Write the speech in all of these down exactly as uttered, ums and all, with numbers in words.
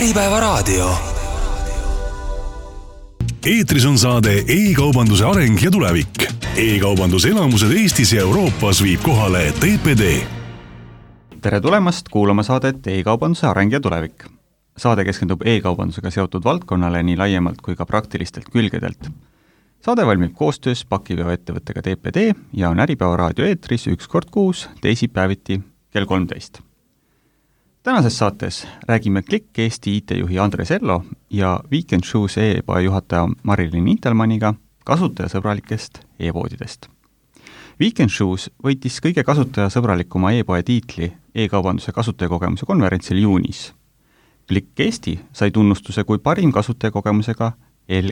Äripäevaraadio. Eetris on saade e-kaubanduse areng ja tulevik. E-kaubanduse elamused Eestis ja Euroopas viib kohale T P D. Tere tulemast kuulama saadet e-kaubanduse areng ja tulevik. Saade keskendub e-kaubandusega seotud valdkonnale nii laiemalt kui ka praktilistelt külgedelt. Saade valmib koostöös pakiveoettevõttega T P D ja on Äripäevaraadio eetris üks kord kuus teisipäeviti kell kolmteist. Tänases saates räägime Klikk Eesti I T-juhi Andres Ello ja Weekend Shoes e-poe juhataja Marilyn Intelmanniga kasutajasõbralikest e-poodidest. Weekend Shoes võitis kõige kasutajasõbralikuma e-poe tiitli e-kaubanduse kasutajakogemuse konverentsil juunis. Klikk Eesti sai tunnustuse kui parim kasutajakogemusega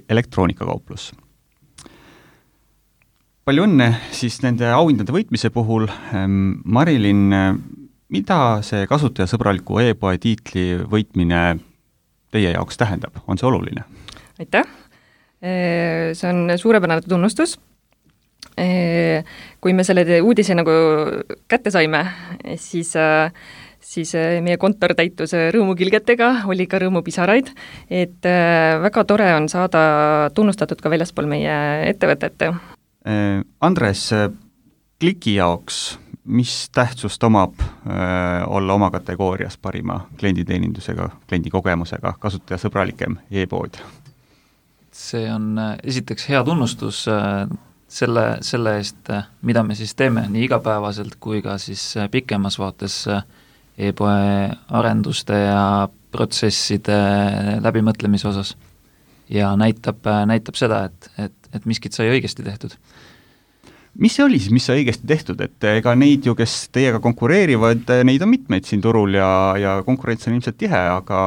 elektroonikakauplus. Palju õnne siis nende auhindade võitmise puhul. Marilyn, mida see kasutajasõbraliku e-poe tiitli võitmine teie jaoks tähendab? On see oluline? Aitäh! See on suurepärane tunnustus. Kui me selle uudise nagu kätte saime, siis, siis meie kontor täitus rõõmukilgetega, oli ka rõõmupisaraid, et väga tore on saada tunnustatud ka väljaspool meie ettevõtete. Andres, Kliki jaoks, mis tähtsust omab äh, olla oma kategoorias parima klienditeenindusega, kliendikogemusega, kasutajasõbralikem e-pood? See on esiteks hea tunnustus äh, selle, selle eest, mida me siis teeme nii igapäevaselt kui ka siis pikemas vaates e-poe arenduste ja protsesside läbimõtlemise osas. Ja näitab, näitab seda, et, et, et miskit sai õigesti tehtud. Mis see oli siis, mis sai õigesti tehtud? Et ega neid ju, kes teiega konkureerivad, neid on mitmeid siin turul ja, ja konkurents on ilmselt tihe, aga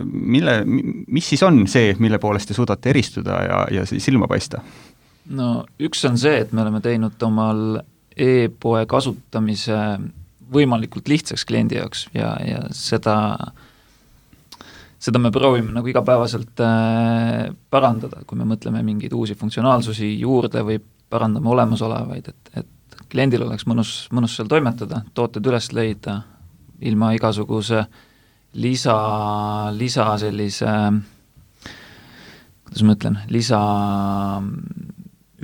mille, mis siis on see, mille poolest te suudate eristuda ja, ja silma paista? No üks on see, et me oleme teinud omal e-poe kasutamise võimalikult lihtsaks kliendi jaoks ja, ja seda, seda me proovime nagu igapäevaselt äh, parandada, kui me mõtleme mingeid uusi funktsionaalsusi juurde või parandame olemasolevaid, et, et kliendil oleks mõnus, mõnus seal toimetada, tooted üles leida ilma igasuguse lisa, lisa sellise, kuidas ma ütlen, lisa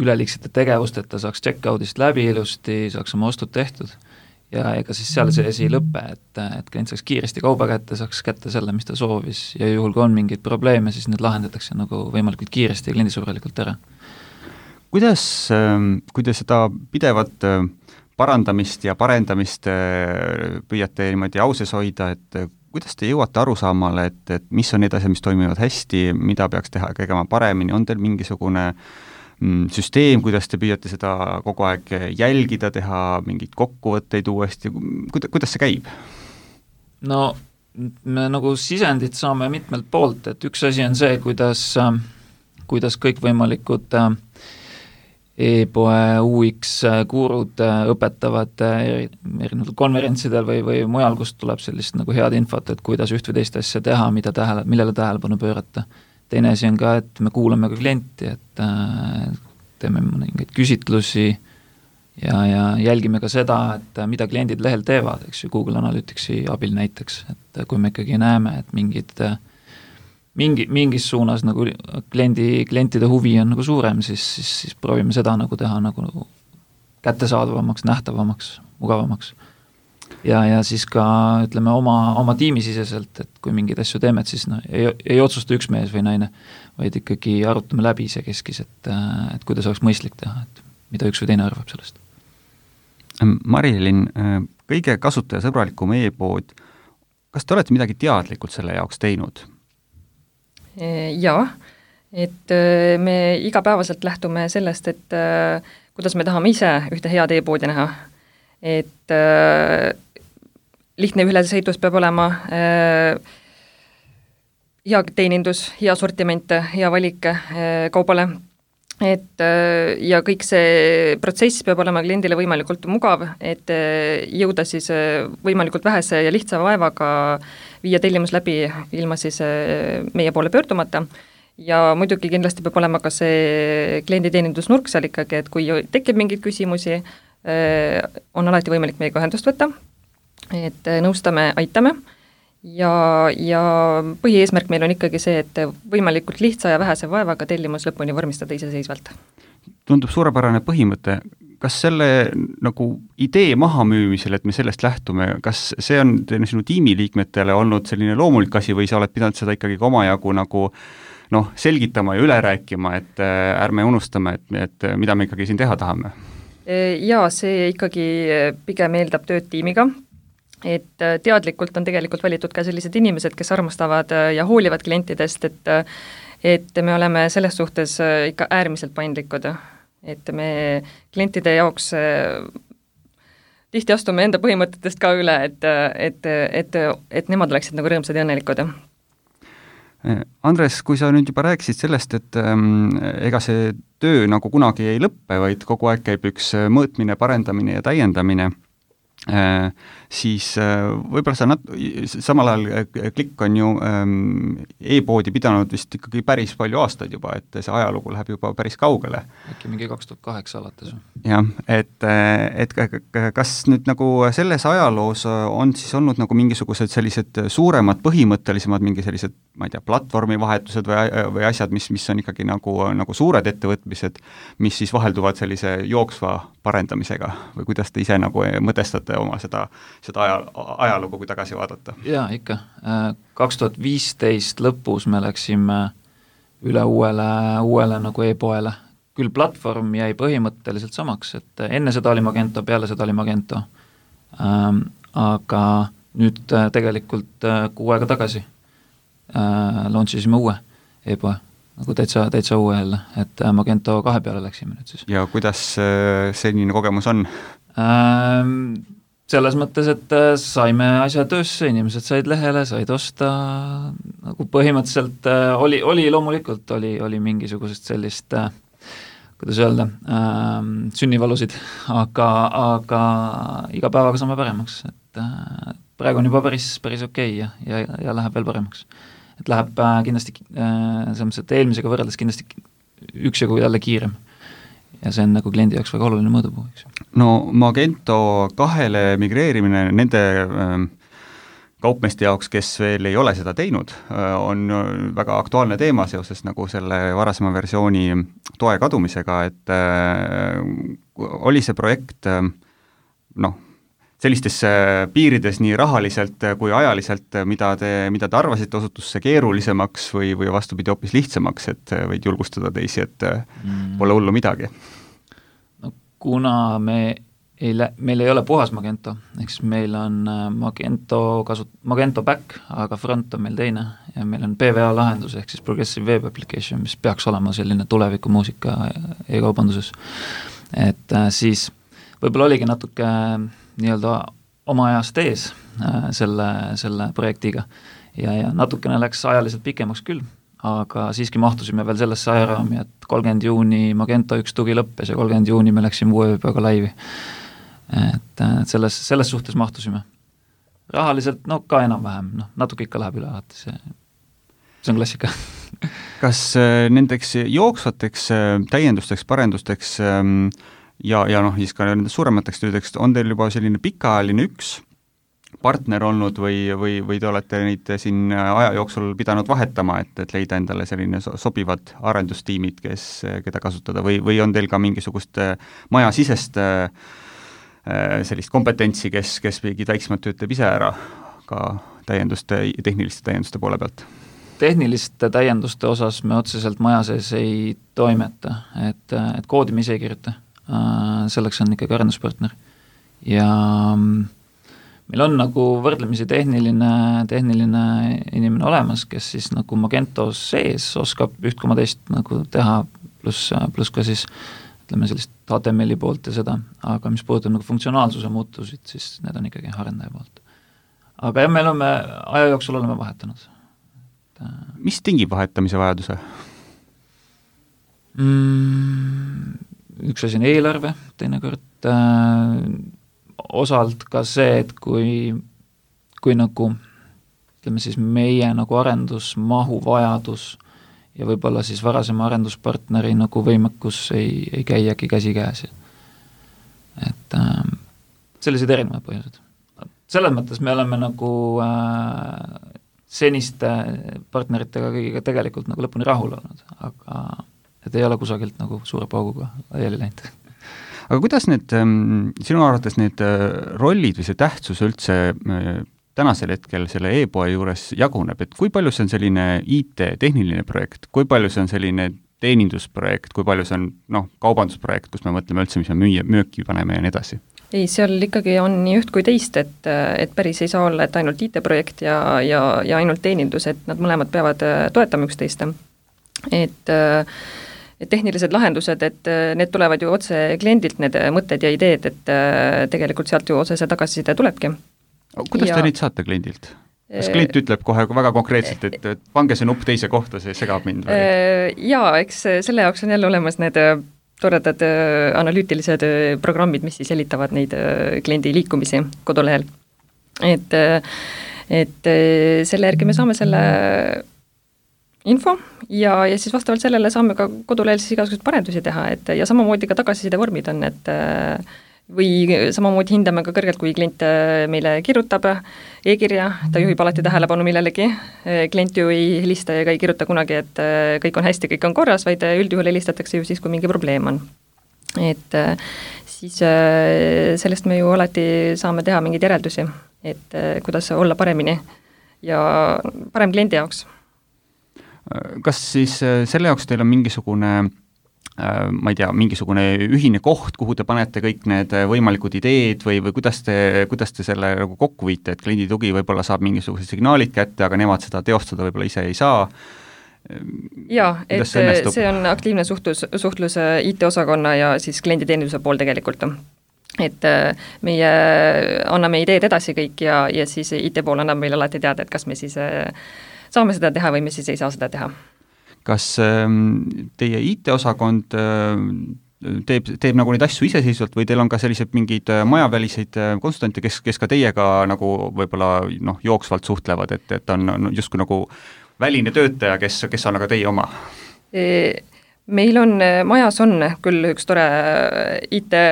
üleliigsete tegevusteta saaks checkoutist läbi ilusti, saaks oma ostud tehtud ja ega siis seal see asi ei lõppe, et, et klient saaks kiiresti kauba kätte, saaks kätte selle, mis ta soovis ja juhul kui on mingeid probleeme, siis need lahendatakse nagu võimalikult kiiresti ja kliendisõbralikult ära. Kuidas, kui te seda pidevat parandamist ja parendamist püüate niimoodi auses hoida, et kuidas te jõuate arusaamale, et, et mis on need asjad, mis toimivad hästi, mida peaks teha tegema paremini, on teil mingisugune süsteem, kuidas te püüate seda kogu aeg jälgida, teha mingeid kokkuvõtteid uuesti, kuidas see käib? No me nagu sisendit saame mitmelt poolt, et üks asi on see, kuidas, kuidas kõikvõimalikud e-poe U X kuurud õpetavad erinevatel konverentsidel või, või mujal, kust tuleb sellist nagu head infot, et kuidas üht või teist asja teha, mida tähele, millele tähelepanu pöörata. Teine asi on ka, et me kuulame ka klienti, et teeme mingeid küsitlusi ja, ja jälgime ka seda, et mida kliendid lehel teevad, eks ju, Google Analyticsi abil näiteks, et kui me ikkagi näeme, et mingid Mingi, mingis suunas nagu kliendi, klientide huvi on nagu suurem, siis, siis, siis proovime seda nagu teha nagu kättesaadavamaks, nähtavamaks, mugavamaks. Ja, ja siis ka ütleme oma, oma tiimisiseselt, et kui mingeid asju teeme, et siis no, ei, ei otsusta üks mees või naine, vaid ikkagi arutame läbi see keskis, et, et kuidas oleks mõistlik teha, et mida üks või teine arvab sellest. Marilyn, kõige kasutajasõbralikum e-pood, kas te olete midagi teadlikult selle jaoks teinud? Jaa, et me igapäevaselt lähtume sellest, et kuidas me tahame ise ühte head e-poodi näha. Et lihtne ülesehitus peab olema, hea teenindus, hea sortiment, hea valik kaubale. Et, ja kõik see protsess peab olema kliendile võimalikult mugav, et jõuda siis võimalikult vähese ja lihtsa vaevaga viia tellimus läbi ilma siis meie poole pöördumata. Ja muidugi kindlasti peab olema ka see klienditeenindusnurk seal ikkagi, et kui tekib mingeid küsimusi, on alati võimalik meiega ühendust võtta, et nõustame, aitame ja, ja põhieesmärk meil on ikkagi see, et võimalikult lihtsa ja vähese vaevaga tellimus lõpuni vormistada iseseisvalt. Tundub suurepärane põhimõte. Kas selle nagu idee mahamüümisel, et me sellest lähtume, kas see on sinu tiimiliikmetele olnud selline loomulik asi või sa oled pidanud seda ikkagi omajagu nagu noh, selgitama ja üle rääkima, et ärme unustame, et, et mida me ikkagi siin teha tahame? Jaa, see ikkagi pigem eeldab tööd tiimiga, et teadlikult on tegelikult valitud ka sellised inimesed, kes armastavad ja hoolivad klientidest, et, et me oleme selles suhtes ikka äärmiselt paindlikud, et me klientide jaoks tihti astume enda põhimõtetest ka üle, et, et, et, et nemad oleksid nagu rõõmsad ja õnnelikud. Andres, kui sa nüüd juba rääkisid sellest, et ähm, ega see töö nagu kunagi ei lõppe, vaid kogu aeg käib üks mõõtmine, parendamine ja täiendamine, äh, siis äh, võib-olla sa nat-, samal ajal Klikk on ju ähm, e-poodi pidanud vist ikkagi päris palju aastaid juba, et see ajalugu läheb juba päris kaugele. Äkki mingi kaks tuhat kaheksa alates. Jah, et, et kas nüüd nagu selles ajaloos on siis olnud nagu mingisugused sellised suuremad, põhimõttelisemad, mingi sellised, ma ei tea, platvormi vahetused või, või asjad, mis, mis on ikkagi nagu, nagu suured ettevõtmised, mis siis vahelduvad sellise jooksva parendamisega või kuidas te ise nagu mõtestate oma seda seda aja, ajalugu, kui tagasi vaadata? Jaa, ikka. kaks tuhat viisteist lõpus me läksime üle uuele, uuele nagu e-poele. Küll platvorm jäi põhimõtteliselt samaks, et enne seda oli Magento, peale seda oli Magento. Ähm, aga nüüd tegelikult kuu aega tagasi äh, launchisime uue e-poe, nagu täitsa, täitsa uue jälle, et Magento kahe peale läksime nüüd siis. Ja kuidas senine kogemus on? Ähm, selles mõttes, et saime asja töösse, inimesed said lehele, said osta, nagu põhimõtteliselt oli, oli loomulikult, oli, oli mingisugusest sellist, kuidas öelda, äh, sünnivalusid, aga, aga iga päevaga saame paremaks, et äh, praegu on juba päris, päris okei ja, ja, ja läheb veel paremaks. Et läheb äh, kindlasti, äh, selles mõttes, et eelmisega võrreldes kindlasti üksjagu jälle kiirem. Ja see on nagu kliendi jaoks väga oluline mõõdupuu, eks. No Magento kahele migreerimine nende äh, kaupmeeste jaoks, kes veel ei ole seda teinud, äh, on väga aktuaalne teema seoses nagu selle varasema versiooni toe kadumisega, et äh, oli see projekt äh, noh, sellistes piirides nii rahaliselt kui ajaliselt, mida te, mida te arvasite, osutus see keerulisemaks või, või vastupidi hoopis lihtsamaks, et võid julgustada teisi, et mm. pole hullu midagi? No kuna me ei lä-, meil ei ole puhas Magento, eks meil on Magento kasut-, Magento back, aga front on meil teine ja meil on P V A lahendus, ehk siis Progressive Web Application, mis peaks olema selline tulevikumuusika e-kaubanduses. Et äh, siis võib-olla oligi natuke nii-öelda oma ajast ees äh, selle, selle projektiga ja, ja natukene läks ajaliselt pikemaks küll, aga siiski mahtusime veel sellesse ajaraami, et kolmkümmend juuni Magento üks tugi lõppes ja kolmkümmend juuni me läksime uue ööpäeva laivi. Et, et selles, selles suhtes mahtusime. Rahaliselt, no ka enam-vähem, noh, natuke ikka läheb üle alati, see, see on klassika. Kas äh, nendeks jooksvateks äh, täiendusteks, parendusteks äh, ja, ja noh, siis ka nendest suuremateks töödeks on teil juba selline pikaajaline üks partner olnud või, või, või te olete neid siin aja jooksul pidanud vahetama, et, et leida endale selline sobivad arendustiimid, kes, keda kasutada või, või on teil ka mingisugust majasisest sellist kompetentsi, kes, kes mingid väiksemad tööd teeb ise ära ka täienduste, tehniliste täienduste poole pealt? Tehniliste täienduste osas me otseselt maja sees ei toimeta, et, et koodi me ise ei kirjuta. Selleks on ikkagi arenduspartner ja meil on nagu võrdlemisi tehniline, tehniline inimene olemas, kes siis nagu Magento sees oskab üht koma teist nagu teha, pluss, pluss ka siis ütleme sellist H T M L-i poolt ja seda, aga mis puudutab nagu funktsionaalsuse muutusid, siis need on ikkagi arendaja poolt. Aga jah, meil on me aja jooksul oleme vahetanud. Mis tingib vahetamise vajaduse? Mm, üks asi on eelarve, teinekord äh, osalt ka see, et kui, kui nagu ütleme siis meie nagu arendusmahu vajadus ja võib-olla siis varasema arenduspartneri nagu võimekus ei, ei käiagi käsi käes. Et äh, sellised erinevad põhjused. selles mõttes me oleme nagu äh, seniste partneritega kõigiga tegelikult nagu lõpuni rahul olnud, aga et ei ole kusagilt nagu suure pauguga laiali läinud. Aga kuidas need, sinu arvates need rollid või see tähtsus üldse tänasel hetkel selle e-poe juures jaguneb, et kui palju see on selline I T tehniline projekt, kui palju see on selline teenindusprojekt, kui palju see on noh, kaubandusprojekt, kus me mõtleme üldse, mis me müüa, müüki paneme ja nii edasi? Ei, seal ikkagi on nii üht kui teist, et, et päris ei saa olla, et ainult I T-projekt ja, ja, ja ainult teenindus, et nad mõlemad peavad toetama üksteist. Et, et tehnilised lahendused, et need tulevad ju otse kliendilt, need mõtted ja ideed, et tegelikult sealt ju otsese tagasiside tulebki. Kuidas ja... te neid saate kliendilt? Kas klient ütleb kohe väga konkreetselt, et, et pange see nupp teise kohta, see segab mind? Või? Jaa, eks selle jaoks on jälle olemas need toredad analüütilised programmid, mis siis jälitavad neid kliendi liikumisi kodulehel. Et, et selle järgi me saame selle info ja, ja siis vastavalt sellele saame ka kodulehel siis igasuguseid parendusi teha, et ja samamoodi ka tagasiside vormid on, et või samamoodi hindame ka kõrgelt, kui klient meile kirjutab e-kirja, ta juhib alati tähelepanu millelegi, klient ju ei helista ega ei kirjuta kunagi, et kõik on hästi, kõik on korras, vaid üldjuhul helistatakse ju siis, kui mingi probleem on. Et siis sellest me ju alati saame teha mingeid järeldusi, et kuidas olla paremini ja parem kliendi jaoks. Kas siis selle jaoks teil on mingisugune ma ei tea, mingisugune ühine koht, kuhu te panete kõik need võimalikud ideed või, või kuidas te, kuidas te selle nagu kokku viite, et kliendi tugi võib-olla saab mingisugused signaalid kätte, aga nemad seda teostada võib-olla ise ei saa? Jaa, et see, see on aktiivne suhtlus, suhtlus I T-osakonna ja siis klienditeeninduse pool tegelikult. Et meie anname ideed edasi kõik ja, ja siis I T pool annab meile alati teada, et kas me siis saame seda teha või me siis ei saa seda teha. Kas teie I T-osakond teeb, teeb nagu neid asju iseseisvalt või teil on ka sellised mingid majaväliseid konsultante, kes, kes ka teiega nagu võib-olla noh, jooksvalt suhtlevad, et, et on justkui nagu väline töötaja, kes, kes on aga teie oma? Meil on, majas on küll üks tore I T,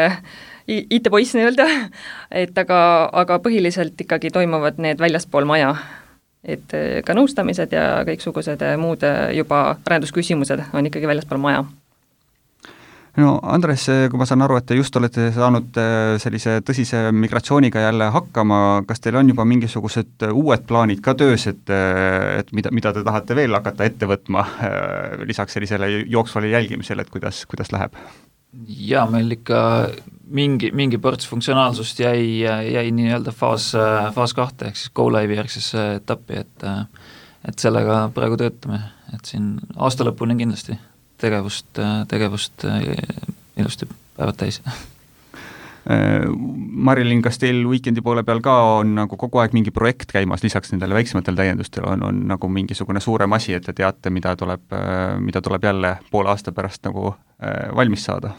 I T-poiss nii-öelda, et aga, aga põhiliselt ikkagi toimuvad need väljaspool maja. Et ka nõustamised ja kõiksugused muud juba arendusküsimused on ikkagi väljaspool maja. No Andres, kui ma saan aru, et te just olete saanud sellise tõsise migratsiooniga jälle hakkama, kas teil on juba mingisugused uued plaanid ka töös, et, et mida, mida te tahate veel hakata ette võtma lisaks sellisele jooksvale jälgimisele, et kuidas, kuidas läheb? Jaa, meil ikka mingi, mingi ports funktsionaalsust jäi, jäi nii-öelda faas, faas kahte, ehk siis go live'i järgsesse etappi, et, et sellega praegu töötame, et siin aasta lõpuni kindlasti tegevust, tegevust ilusti päevad täis. Marilyn, kas teil weekendi poole peal ka on nagu kogu aeg mingi projekt käimas, lisaks nendele väiksematel täiendustel on, on nagu mingisugune suurem asi, et te teate, mida tuleb, mida tuleb jälle poole aasta pärast nagu valmis saada?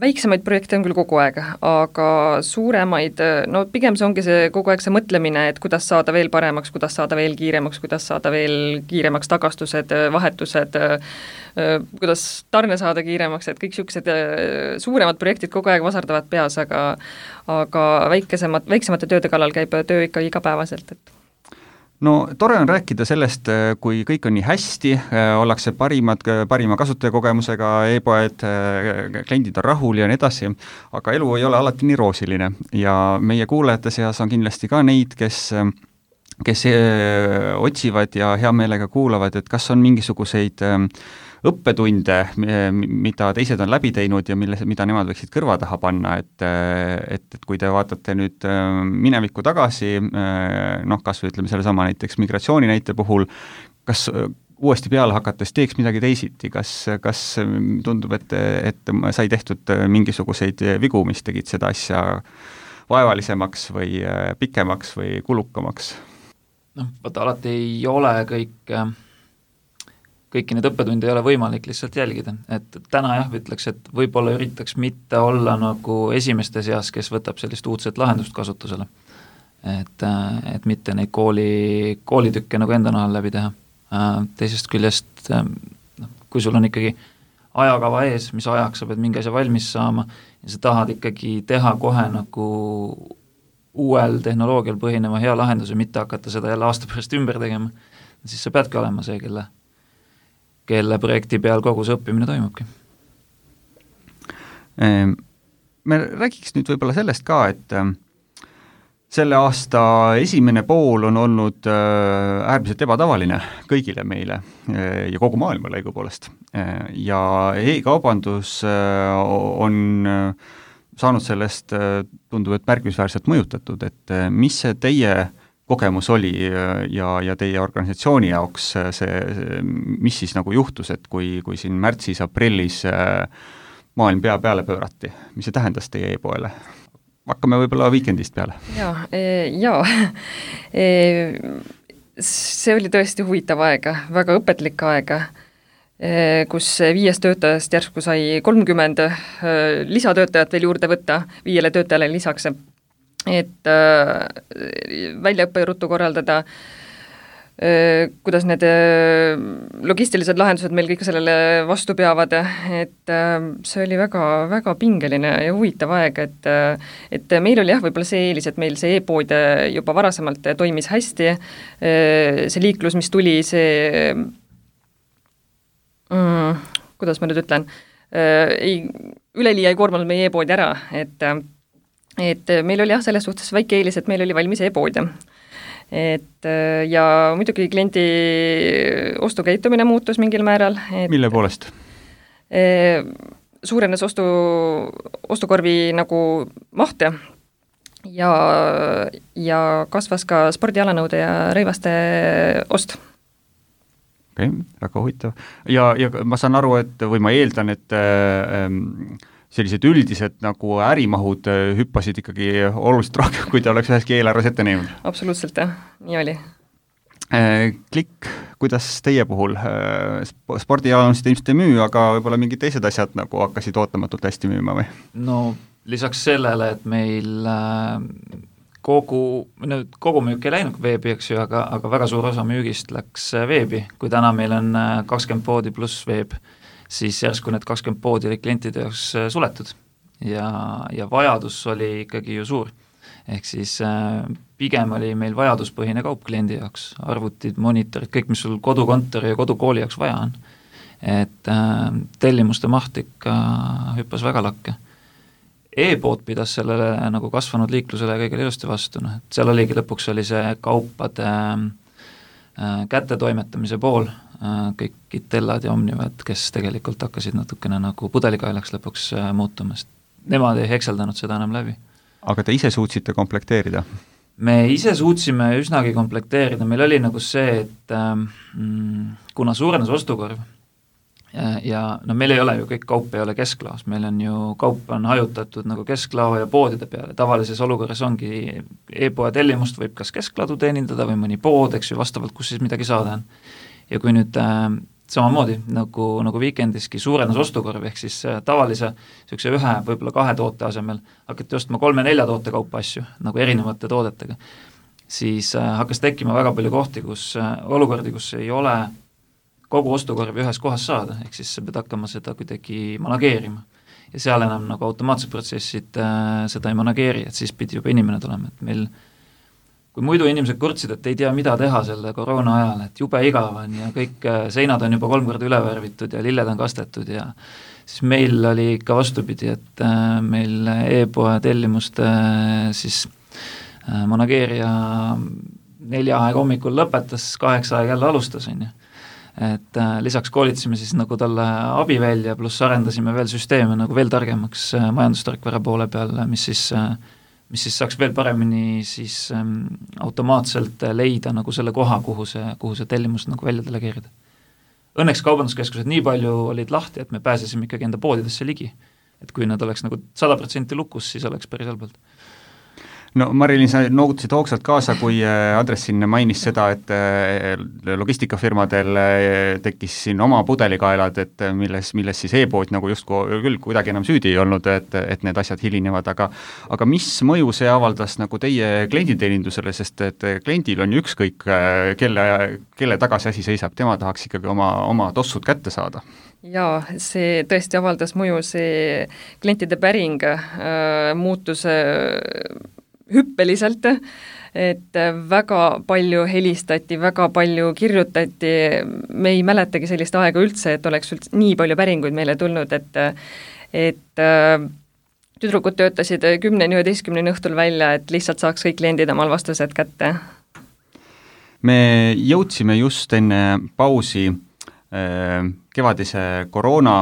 Väiksemaid projekte on küll kogu aeg, aga suuremaid, no pigem see ongi see kogu aeg see mõtlemine, et kuidas saada veel paremaks, kuidas saada veel kiiremaks, kuidas saada veel kiiremaks tagastused, vahetused, kuidas tarne saada kiiremaks, et kõik niisugused suuremad projektid kogu aeg vasardavad peas, aga, aga väikesemad, väiksemate tööde kallal käib töö ikka igapäevaselt, et no tore on rääkida sellest, kui kõik on nii hästi, ollakse parimad, parima kasutajakogemusega, e-poed, kliendid on rahul ja nii edasi, aga elu ei ole alati nii roosiline ja meie kuulajate seas on kindlasti ka neid, kes, kes otsivad ja hea meelega kuulavad, et kas on mingisuguseid õppetunde, mida teised on läbi teinud ja mille, mida nemad võiksid kõrva taha panna, et, et, et kui te vaatate nüüd minevikku tagasi, noh, kas või ütleme selle sama näiteks migratsiooni näite puhul, kas uuesti peale hakates teeks midagi teisiti, kas, kas tundub, et, et sai tehtud mingisuguseid vigu, mis tegid seda asja vaevalisemaks või pikemaks või kulukamaks? Noh, vaata, alati ei ole kõik kõiki need õppetundi ei ole võimalik lihtsalt jälgida, et täna jah, ütleks, et võib-olla üritaks mitte olla nagu esimeste seas, kes võtab sellist uudset lahendust kasutusele. Et, et mitte neid kooli, koolitükke nagu enda nahal läbi teha. Teisest küljest, kui sul on ikkagi ajakava ees, mis ajaks sa pead mingi asja valmis saama ja sa tahad ikkagi teha kohe nagu uuel tehnoloogial põhineva hea lahenduse, mitte hakata seda jälle aasta pärast ümber tegema, siis sa peadki olema see, kelle, kelle projekti peal kogu see õppimine toimubki. Me räägiks nüüd võib-olla sellest ka, et selle aasta esimene pool on olnud äärmiselt ebatavaline kõigile meile ja kogu maailmale õigupoolest. Ja e-kaubandus on saanud sellest, tundub, et märkimisväärselt mõjutatud, et mis see teie kogemus oli ja, ja teie organisatsiooni jaoks see, mis siis nagu juhtus, et kui, kui siin märtsis, aprillis maailm pea peale pöörati, mis see tähendas teie e-poele? Hakkame võib-olla Weekendist peale. Jaa, jaa. See oli tõesti huvitav aega, väga õpetlik aega, kus viies töötajast järsku sai kolmkümmend lisatöötajat veel juurde võtta, viiele töötajale lisaks, et väljaõppe ruttu korraldada, kuidas need logistilised lahendused meil kõik sellele vastu peavad, et see oli väga, väga pingeline ja huvitav aeg, et, et meil oli jah, võib-olla see eelis, et meil see e-pood juba varasemalt toimis hästi, see liiklus, mis tuli, see mm, kuidas ma nüüd ütlen, ei, üleliia ei koormanud meie e-poodi ära, et, et meil oli jah, selles suhtes väike eelis, et meil oli valmis e-pood. Et ja muidugi kliendi ostukäitumine muutus mingil määral. Et mille poolest? Suurenes ostu, ostukorvi nagu maht ja, ja kasvas ka spordialanõude ja rõivaste ost. Okei, okay, väga huvitav. Ja, ja ma saan aru, et või ma eeldan, et ähm, sellised üldised nagu ärimahud hüppasid ikkagi oluliselt rohkem, kui ta oleks üheski eelarves ette näinud. Absoluutselt, jah, nii oli. Klikk, kuidas teie puhul? Spordialanusid ilmselt ei müü, aga võib-olla mingid teised asjad nagu hakkasid ootamatult hästi müüma või? No lisaks sellele, et meil kogu, kogu müük ei läinud veebi, eks ju, aga, aga väga suur osa müügist läks veebi, kui täna meil on kakskümmend poodi pluss veeb, siis järsku need kakskümmend poodi oli klientide jaoks suletud ja, ja vajadus oli ikkagi ju suur. Ehk siis äh, pigem oli meil vajaduspõhine kaup kliendi jaoks, arvutid, monitorid, kõik, mis sul kodukontori ja kodukooli jaoks vaja on. Et äh, tellimuste maht ikka hüppas väga lakke. E-pood pidas sellele nagu kasvanud liiklusele kõigile ilusti vastu, noh, et seal oligi lõpuks oli see kaupade äh, kättetoimetamise pool, kõik Itellad ja Omnivad, kes tegelikult hakkasid natukene nagu pudelikaelaks lõpuks muutumast. Nemad ei hekseldanud seda enam läbi. Aga te ise suutsite komplekteerida? Me ise suutsime üsnagi komplekteerida, meil oli nagu see, et mm, kuna suurenes ostukorv ja, ja no meil ei ole ju kõik kaup ei ole kesklaos, meil on ju kaup on hajutatud nagu kesklao ja poodide peale, tavalises olukorras ongi e-poe tellimust võib kas keskladu teenindada või mõni pood, eks ju, vastavalt kus siis midagi saada on. Ja kui nüüd äh, samamoodi nagu, nagu Weekendiski suurenes ostukorv, ehk siis äh, tavalise niisuguse ühe, võib-olla kahe toote asemel hakati ostma kolme-nelja toote kaupa asju, nagu erinevate toodetega, siis äh, hakkas tekkima väga palju kohti, kus äh, olukordi, kus ei ole kogu ostukorvi ühes kohas saada, ehk siis sa pead hakkama seda kuidagi manageerima. Ja seal enam nagu automaatsed protsessid äh, seda ei manageeri, et siis pidi juba inimene tulema, et meil kui muidu inimesed kurtsid, et ei tea, mida teha selle koroona ajal, et jube igav on ja kõik seinad on juba kolm korda üle värvitud ja lilled on kastetud ja siis meil oli ikka vastupidi, et meil e-poe tellimuste siis manageerija nelja aeg hommikul lõpetas, kaheksa aeg jälle alustas, on ju. Et lisaks koolitasime siis nagu talle abi välja, pluss arendasime veel süsteeme nagu veel targemaks majandustarkvara poole peal, mis siis mis siis saaks veel paremini siis ähm, automaatselt leida nagu selle koha, kuhu see, kuhu see tellimus nagu välja delegeerida. Õnneks kaubanduskeskused nii palju olid lahti, et me pääsesime ikkagi enda poodidesse ligi. Et kui nad oleks nagu sada protsenti lukus, siis oleks päris halbalt. No Marilyn, sa noogutasid hoogsalt kaasa, kui Andres siin mainis seda, et logistikafirmadel tekkis siin oma pudelikaelad, et milles, milles siis e-pood nagu just küll kuidagi enam süüdi ei olnud, et, et need asjad hilinevad, aga, aga mis mõju see avaldas nagu teie klienditeenindusele, sest et kliendil on ju ükskõik, kelle, kelle taga see asi seisab, tema tahaks ikkagi oma, oma tossud kätte saada? Jaa, see tõesti avaldas mõju, see klientide päring äh, muutus äh, hüppeliselt, et väga palju helistati, väga palju kirjutati, me ei mäletagi sellist aega üldse, et oleks üldse nii palju päringuid meile tulnud, et et tüdrukud töötasid kümneni üheteistkümneni õhtul välja, et lihtsalt saaks kõik kliendid omal vastused kätte. Me jõudsime just enne pausi kevadise koroona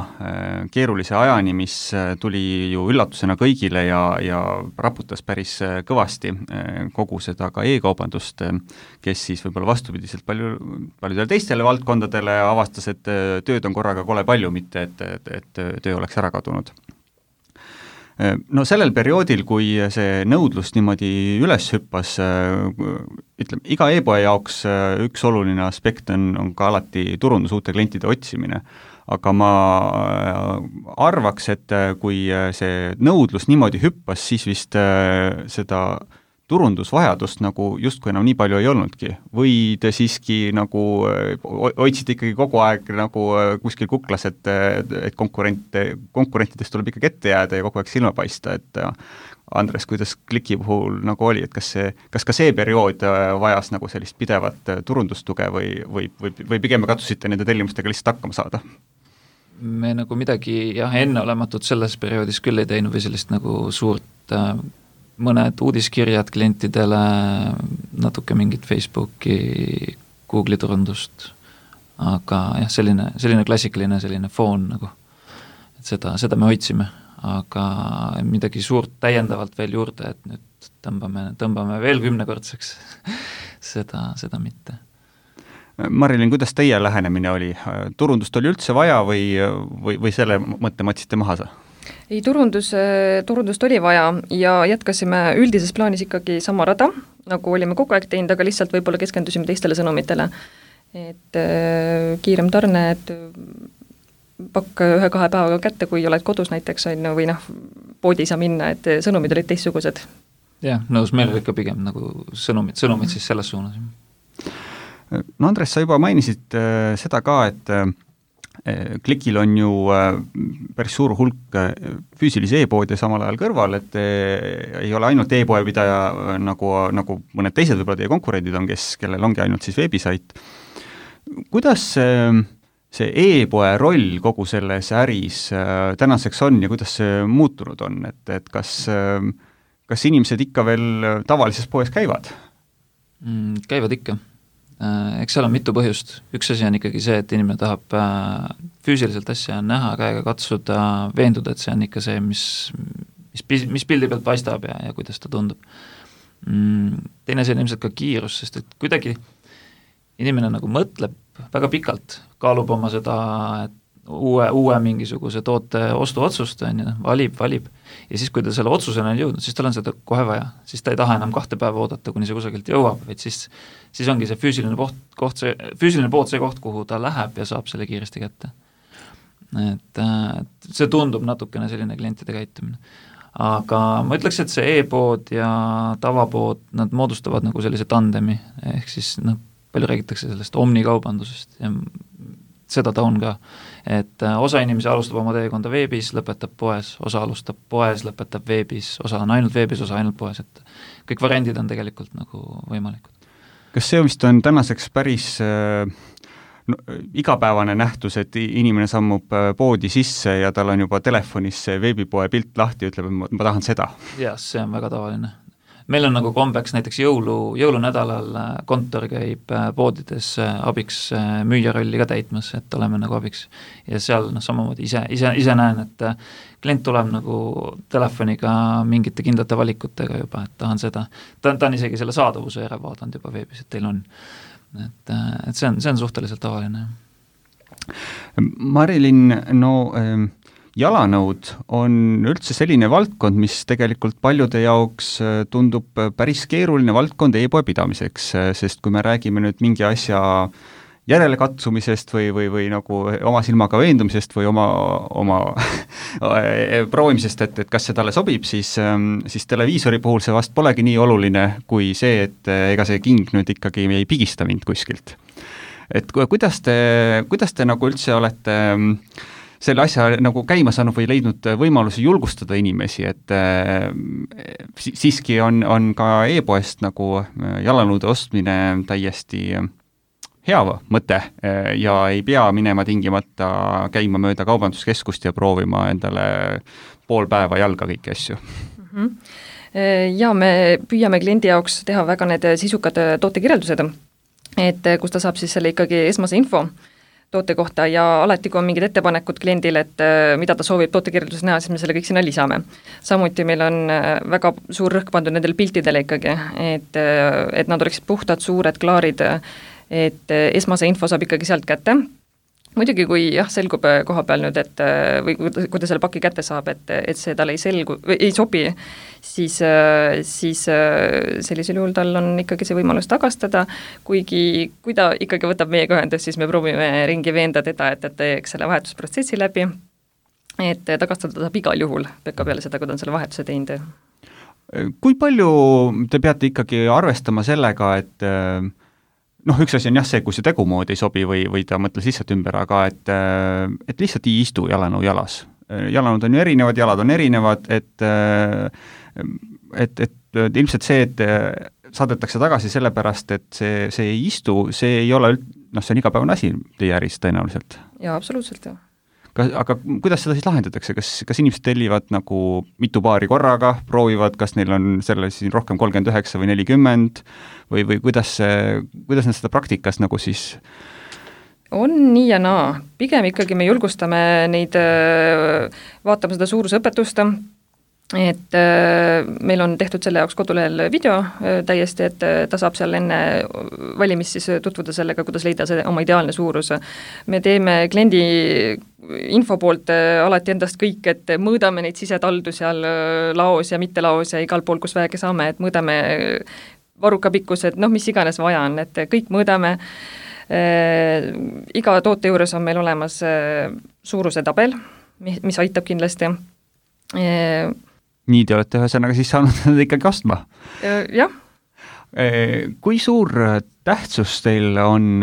keerulise ajani, mis tuli ju üllatusena kõigile ja, ja raputas päris kõvasti kogu seda ka e-kaubandust, kes siis võib-olla vastupidiselt palju, paljudele teistele valdkondadele avastas, et tööd on korraga kole palju, mitte et, et, et töö oleks ära kadunud. No sellel perioodil, kui see nõudlus niimoodi üles hüppas, ütleme, iga e-poe jaoks üks oluline aspekt on, on ka alati turundus uute klientide otsimine. Aga ma arvaks, et kui see nõudlus niimoodi hüppas, siis vist seda turundusvajadust nagu justkui enam nii palju ei olnudki. Või te siiski nagu hoidsite ikkagi kogu aeg nagu kuskil kuklas, et, et konkurente, konkurentidest tuleb ikkagi ette jääda ja kogu aeg silma paista, et Andres, kuidas Kliki puhul nagu oli, et kas, see, kas ka see periood vajas nagu sellist pidevat turundustuge või, või, või, või pigem katsusite nende tellimustega lihtsalt hakkama saada? Me nagu midagi jah, enneolematut selles perioodis küll ei teinud või sellist nagu suurt äh, mõned uudiskirjad klientidele, natuke mingit Facebooki, Google'i turundust, aga jah, selline, selline klassikaline selline foon nagu, et seda, seda me hoidsime, aga midagi suurt täiendavalt veel juurde, et nüüd tõmbame, tõmbame veel kümnekordseks, seda, seda mitte. Marilyn, kuidas teie lähenemine oli? Turundust oli üldse vaja või, või, või selle mõtte matsite maha sa? Ei, turundus, turundust oli vaja ja jätkasime üldises plaanis ikkagi sama rada, nagu olime kogu aeg teinud, aga lihtsalt võib-olla keskendusime teistele sõnumitele. Et äh, kiirem tarne, et pakk ühe-kahe päevaga kätte, kui oled kodus näiteks, või noh, poodi saa minna, et sõnumid olid teistsugused. Jah, nõus, meil oli ikka pigem nagu sõnumid, sõnumid siis selles suunas. No Andres, sa juba mainisid äh, seda ka, et äh, Klikil on ju päris suur hulk füüsilisi e-poode samal ajal kõrval, et ei ole ainult e-poe pidaja, nagu, nagu mõned teised võib-olla teie konkurendid on, kes, kellel ongi ainult siis veebisait. Kuidas see e-poe roll kogu selles äris tänaseks on ja kuidas see muutunud on, et, et kas, kas inimesed ikka veel tavalises poes käivad? Mm, käivad ikka. Eks seal on mitu põhjust. Üks asi on ikkagi see, et inimene tahab füüsiliselt asja näha, käega katsuda, veenduda, et see on ikka see, mis, mis, mis pildi pealt paistab ja, ja kuidas ta tundub. Teine asi on ilmselt ka kiirus, sest et kuidagi inimene nagu mõtleb väga pikalt, kaalub oma seda uue, uue mingisuguse toote ostuotsust, valib, valib ja siis, kui ta selle otsusena on jõudnud, siis tal on seda kohe vaja, siis ta ei taha enam kahte päeva oodata, kuni see kusagilt jõuab, vaid siis, siis ongi see füüsiline pood, koht, see, füüsiline pood see koht, kuhu ta läheb ja saab selle kiiresti kätte. Et, et see tundub natukene selline klientide käitumine. Aga ma ütleks, et see e-pood ja tavapood, nad moodustavad nagu sellise tandemi, ehk siis noh, palju räägitakse sellest omnikaubandusest ja seda ta on ka, et osa inimesi alustab oma teekonda veebis, lõpetab poes, osa alustab poes, lõpetab veebis, osa on ainult veebis, osa ainult poes, et kõik variandid on tegelikult nagu võimalikud. Kas see vist on tänaseks päris no, igapäevane nähtus, et inimene sammub poodi sisse ja tal on juba telefonis see veebipoe pilt lahti, ütleb, et ma, ma tahan seda? Jah, see on väga tavaline. Meil on nagu kombeks näiteks jõulu, jõulunädalal kontor käib poodides abiks müüja rolli ka täitmas, et oleme nagu abiks. Ja seal noh, samamoodi ise, ise, ise näen, et klient tuleb nagu telefoniga mingite kindlate valikutega juba, et tahan seda. Ta, ta on isegi selle saadavuse ära vaadanud juba veebis, et teil on. Et, et see on, see on suhteliselt tavaline. Marilyn, no jalanõud on üldse selline valdkond, mis tegelikult paljude jaoks tundub päris keeruline valdkond e-poe pidamiseks, sest kui me räägime nüüd mingi asja järelekatsumisest või, või, või nagu oma silmaga veendumisest või oma, oma proovimisest, et, et kas see talle sobib, siis, siis televiisori puhul see vast polegi nii oluline kui see, et ega see king nüüd ikkagi ei pigista mind kuskilt. Et kuidas te, kuidas te nagu üldse olete selle asja nagu käima saanud või leidnud võimalusi julgustada inimesi, et äh, siiski on, on ka e-poest nagu jalanõude ostmine täiesti hea mõte ja ei pea minema tingimata käima mööda kaubanduskeskust ja proovima endale pool päeva jalga kõiki asju. Mm-hmm. Ja me püüame kliendi jaoks teha väga need sisukad tootekirjeldused, et kus ta saab siis selle ikkagi esmase info toote kohta ja alati, kui on mingid ettepanekud kliendile, et mida ta soovib tootekirjelduses näha, siis me selle kõik sinna lisame. Samuti meil on väga suur rõhk pandud nendel piltidele ikkagi, et, et nad oleksid puhtad, suured, klaarid, et esmase info saab ikkagi sealt kätte. Muidugi, kui jah, selgub koha peal nüüd, et või kui ta selle paki kätte saab, et, et see tal ei selgu, ei sobi, siis, siis sellisel juhul tal on ikkagi see võimalus tagastada, kuigi kui ta ikkagi võtab meiega ühendust, siis me proovime ringi veenda teda, et, et teeks selle vahetusprotsessi läbi, et tagastada saab igal juhul pekka peale seda, kui ta on selle vahetuse teinud. Kui palju te peate ikkagi arvestama sellega, et noh, üks asi on jah see, kui see tegumood ei sobi või, või ta mõtles lihtsalt ümber, aga et, et lihtsalt ei istu jalanõu jalas. Jalanõud on ju erinevad, jalad on erinevad, et, et, et ilmselt see, et saadetakse tagasi sellepärast, et see, see ei istu, see ei ole, noh, see on igapäevane asi teie äris tõenäoliselt. Jaa, absoluutselt, jah. Kas, aga kuidas seda siis lahendatakse, kas, kas inimesed tellivad nagu mitu paari korraga, proovivad, kas neil on selle siin rohkem kolmkümmend üheksa või nelikümmend või, või kuidas, kuidas nad seda praktikas nagu siis on nii ja naa. Pigem ikkagi me julgustame neid vaatama seda suurusõpetust, et meil on tehtud selle jaoks kodulehel video täiesti, et ta saab seal enne valimist siis tutvuda sellega, kuidas leida see oma ideaalne suurus. Me teeme kliendi info poolt alati endast kõik, et mõõdame neid sisetaldu seal laos ja mitte laos ja igal pool, kus vähegi saame, et mõõdame varuka pikkused, noh, mis iganes vaja on, et kõik mõõdame. Iga toote juures on meil olemas suuruse tabel, mis aitab kindlasti. Nii te olete ühesõnaga siis saanud nad ikkagi ostma? Jah. Kui suur tähtsus teil on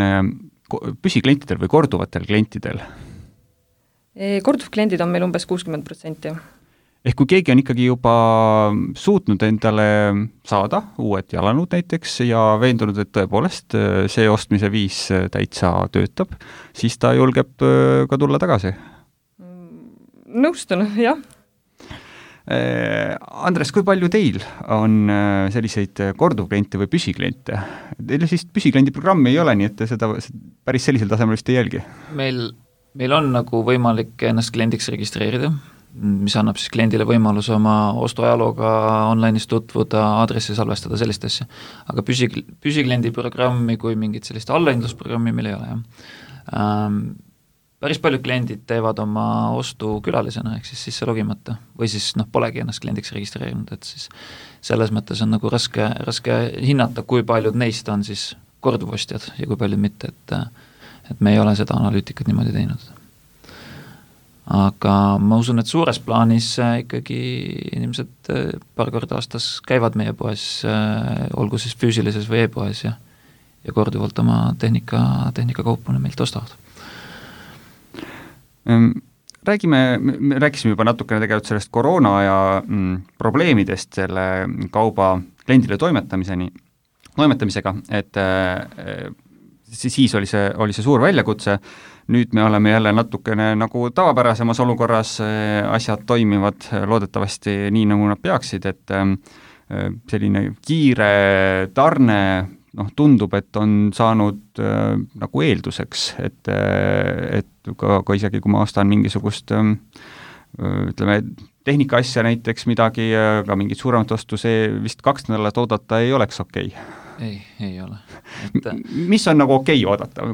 püsiklientidel või korduvatel klientidel? Korduvkliendid on meil umbes kuuskümmend protsenti. Ehk kui keegi on ikkagi juba suutnud endale saada uued jalanõud näiteks ja veendunud, et tõepoolest see ostmise viis täitsa töötab, siis ta julgeb ka tulla tagasi? Nõustun, jah. Andres, kui palju teil on selliseid korduvkliente või püsikliente? Teil siis püsikliendi programmi ei ole, nii et te seda päris sellisel tasemel vist ei jälgi? Meil, meil on nagu võimalik ennast kliendiks registreerida, mis annab siis kliendile võimaluse oma ostuajalooga online'is tutvuda, aadressi salvestada, sellist asja. Aga püsi, püsikliendi programmi kui mingit sellist allahindlusprogrammi meil ei ole, jah. Ähm, päris paljud kliendid teevad oma ostu külalisena, ehk siis sisse logimata, või siis noh, polegi ennast kliendiks registreerinud, et siis selles mõttes on nagu raske, raske hinnata, kui paljud neist on siis korduvostjad ja kui paljud mitte, et, et me ei ole seda analüütikat niimoodi teinud. Aga ma usun, et suures plaanis ikkagi inimesed paar korda aastas käivad meie poes, olgu siis füüsilises või e-poes ja, ja korduvalt oma tehnika, tehnikakaupune meilt ostavad. Räägime, me rääkisime juba natukene tegelikult sellest koroona ja mm, probleemidest selle kauba kliendile toimetamiseni, toimetamisega, et äh, siis oli see, oli see suur väljakutse, nüüd me oleme jälle natukene nagu tavapärasemas olukorras, asjad toimivad loodetavasti nii, nagu nad peaksid, et äh, selline kiire tarne noh, tundub, et on saanud äh, nagu eelduseks, et, et ka, ka isegi kui ma ostan mingisugust äh, ütleme, tehnika asja näiteks midagi, ka mingit suuremat ostu, see vist kaks nädalat oodata ei oleks okei. Ei, ei ole. Et... mis on nagu okei oodata?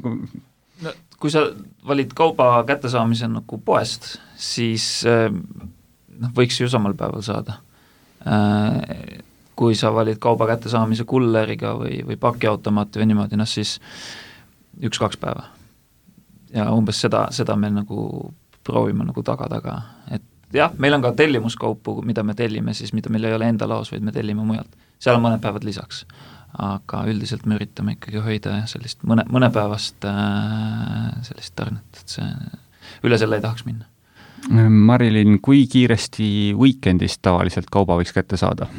No, kui sa valid kauba kättesaamise nagu poest, siis noh, võiks ju samal päeval saada. Äh, kui sa valid kauba kättesaamise kulleriga või, või pakiautomaati või niimoodi, noh siis üks-kaks päeva. Ja umbes seda, seda me nagu proovime nagu taga-taga. Et jah, meil on ka tellimuskaupu, mida me tellime siis, mida meil ei ole enda laos, vaid me tellime mujalt. Seal on mõned päevad lisaks. Aga üldiselt me üritame ikkagi hoida sellist mõne, mõne päevast äh, sellist tarnet, et see üle selle ei tahaks minna. Marilyn, kui kiiresti weekendist tavaliselt kauba võiks kätte saada?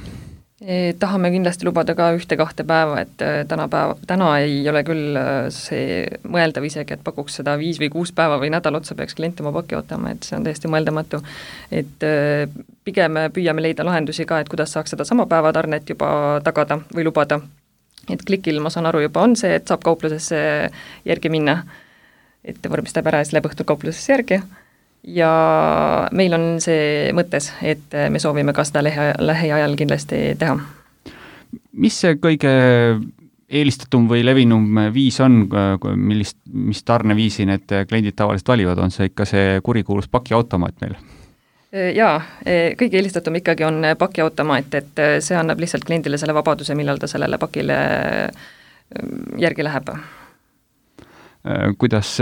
Tahame kindlasti lubada ka ühte-kahte päeva, et täna, päeva, täna ei ole küll see mõeldav isegi, et pakuks seda viis või kuus päeva või nädal otsa peaks klient oma paki ootama, et see on täiesti mõeldamatu. Et pigem püüame leida lahendusi ka, et kuidas saaks seda sama päevatarnet juba tagada või lubada. Et klikil, ma saan aru, juba on see, et saab kauplusesse järgi minna, et vormistab ära ja siis läheb õhtul kauplusesse järgi. Ja meil on see mõttes, et me soovime ka seda lähe, lähiajal kindlasti teha. Mis see kõige eelistatum või levinum viis on, millist, mis tarneviisi need kliendid tavaliselt valivad, on see ikka see kurikuulus pakiautomaat meil? Jaa, kõige eelistatum ikkagi on pakiautomaat, et see annab lihtsalt kliendile selle vabaduse, millal ta sellele pakile järgi läheb. Kuidas,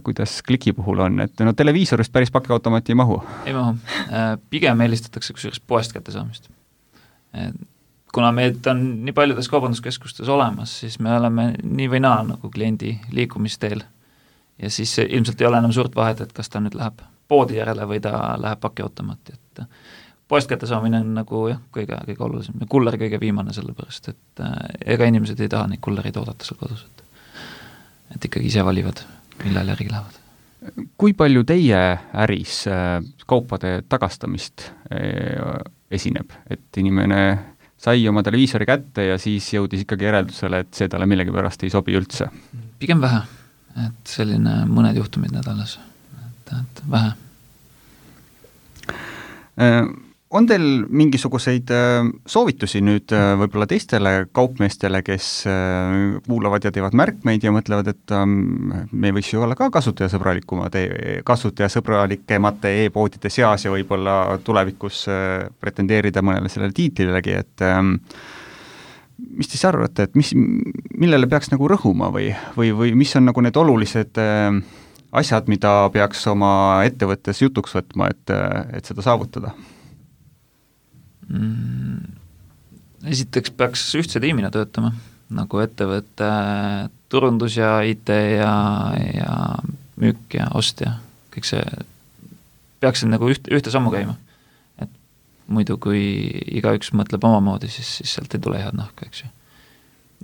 kuidas kliki puhul on, et no televiisorist päris pakiautomaati ei mahu? Ei mahu. Pigem eelistatakse kusjuures poest kätte saamist. Kuna meid on nii paljudes kaubanduskeskustes olemas, siis me oleme nii või naa nagu kliendi liikumisteel ja siis ilmselt ei ole enam suurt vahet, et kas ta nüüd läheb poodi järele või ta läheb pakiautomaati, et poest kätte saamine on nagu jah, kõige, kõige olulisem ja kuller kõige viimane sellepärast, et ega inimesed ei taha neid kullereid oodata seal kodus, et et ikkagi ise valivad, millal järgi lähevad. Kui palju teie äris kaupade tagastamist esineb, et inimene sai oma televiisori kätte ja siis jõudis ikkagi järeldusele, et see talle millegi pärast ei sobi üldse? Pigem vähe, et selline mõned juhtumid nädalas, et, et vähe. On teil mingisuguseid soovitusi nüüd võib-olla teistele kaupmeestele, kes kuulavad ja teevad märkmeid ja mõtlevad, et me võiks ju olla ka kasutajasõbralikumad, kasutajasõbralikemate e-poodide seas ja võib-olla tulevikus pretendeerida mõnele sellele tiitlilegi, et mis te siis arvate, et mis, millele peaks nagu rõhuma või, või, või mis on nagu need olulised asjad, mida peaks oma ettevõttes jutuks võtma, et, et seda saavutada? Esiteks peaks ühtse tiimina töötama, nagu ettevõtte turundus ja I T ja, ja müük ja ost ja kõik see peaks nagu üht, ühte sammu käima. Et muidu kui igaüks mõtleb omamoodi, siis, siis sealt ei tule head nahka, eks ju.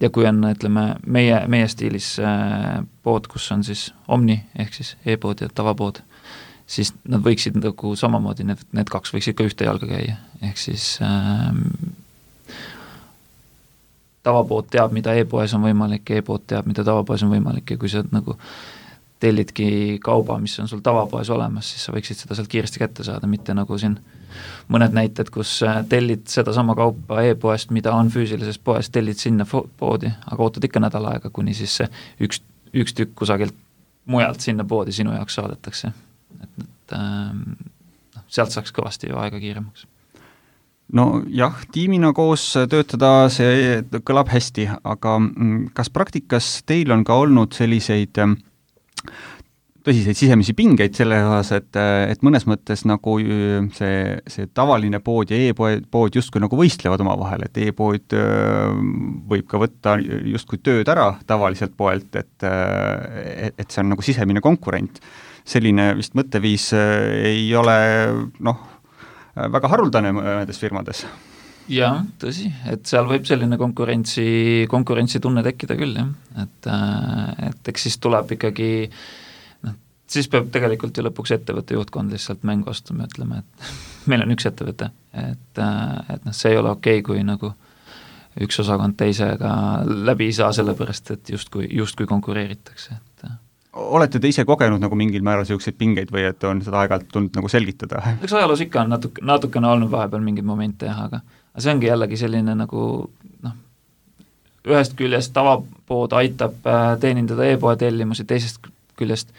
Ja kui on, ütleme, meie, meie stiilis pood, kus on siis Omni, ehk siis e-pood ja tavapood, siis nad võiksid nagu samamoodi, need, need kaks võiksid ka ühte jalga käia, ehk siis ähm, tavapood teab, mida e-poes on võimalik, e-pood teab, mida tavapoes on võimalik ja kui sa nagu tellidki kauba, mis on sul tavapoes olemas, siis sa võiksid seda sealt kiiresti kätte saada, mitte nagu siin mõned näited, kus tellid seda sama kaupa e-poest, mida on füüsilises poes, tellid sinna poodi, aga ootad ikka nädal aega, kuni siis see üks, üks tükk kusagilt mujalt sinna poodi sinu jaoks saadetakse. Et, et ähm, sealt saaks kõvasti ju aega kiiremaks. No jah, tiimina koos töötada, see kõlab hästi, aga kas praktikas teil on ka olnud selliseid tõsiseid sisemisi pingeid selle osas, et, et mõnes mõttes nagu see, see tavaline pood ja e-pood justkui nagu võistlevad oma vahel, et e-pood võib ka võtta justkui tööd ära tavaliselt poelt, et, et see on nagu sisemine konkurent. Selline vist mõtteviis ei ole noh, väga haruldane mõnedes firmades. Jah, tõsi, et seal võib selline konkurentsi, konkurentsi tunne tekkida küll, jah. Et, et eks siis tuleb ikkagi, noh, siis peab tegelikult ju lõpuks ettevõtte juhtkond lihtsalt mängu astuma, ütleme, et meil on üks ettevõte, et, et noh, see ei ole okei, kui nagu üks osakond teisega läbi ei saa sellepärast, et justkui, justkui konkureeritakse, et olete te ise kogenud nagu mingil määral selliseid pingeid või et on seda aeg-ajalt tulnud nagu selgitada? Eks ajaloos ikka on natuke, natukene olnud vahepeal mingeid momente, aga, aga see ongi jällegi selline nagu noh, ühest küljest tavapood aitab teenindada e-poe tellimusi, teisest küljest